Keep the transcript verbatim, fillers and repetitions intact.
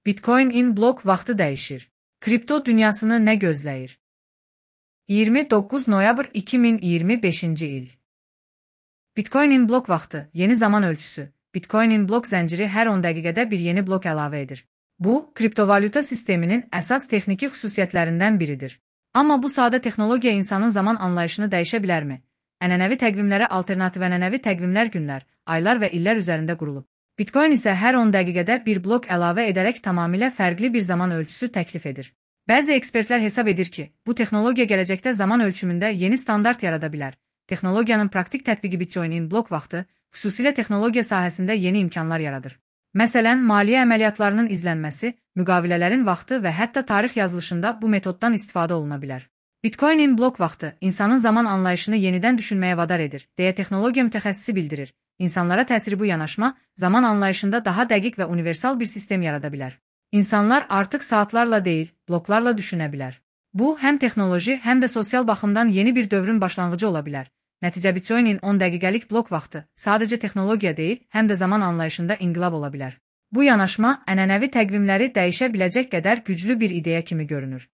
Bitcoin-in blok vaxtı dəyişir. Kripto dünyasını nə gözləyir? iyirmi doqquz noyabr iki min iyirmi beşinci il. Bitcoin-in blok vaxtı, yeni zaman ölçüsü. Bitcoin-in blok zənciri hər on dəqiqədə bir yeni blok əlavə edir. Bu, kriptovalyuta sisteminin əsas texniki xüsusiyyətlərindən biridir. Amma bu sadə texnologiya insanın zaman anlayışını dəyişə bilərmi? Ənənəvi təqvimlərə alternativ ənənəvi təqvimlər günlər, aylar və illər üzərində qurulub. Bitcoin isə hər on dəqiqədə bir blok əlavə edərək tamamilə fərqli bir zaman ölçüsü təklif edir. Bəzi ekspertlər hesab edir ki, bu texnologiya gələcəkdə zaman ölçümündə yeni standart yarada bilər. Texnologiyanın praktik tətbiqi Bitcoin-in blok vaxtı, xüsusilə texnologiya sahəsində yeni imkanlar yaradır. Məsələn, maliyyə əməliyyatlarının izlənməsi, müqavilələrin vaxtı və hətta tarix yazılışında bu metoddan istifadə oluna bilər. Bitcoin-in blok vaxtı insanın zaman anlayışını yenidən düşünməyə vadar edir, deyə texnologiya mütəxəssisi bildirir. İnsanlara təsiri bu yanaşma, zaman anlayışında daha dəqiq və universal bir sistem yarada bilər. İnsanlar artıq saatlarla deyil, bloklarla düşünə bilər. Bu, həm texnoloji, həm də sosial baxımdan yeni bir dövrün başlanğıcı ola bilər. Nəticə Bitcoin-in on dəqiqəlik blok vaxtı sadəcə texnologiya deyil, həm də zaman anlayışında inqilab ola bilər. Bu yanaşma ənənəvi təqvimləri dəyişə biləcək qədər güclü bir ideya kimi görünür.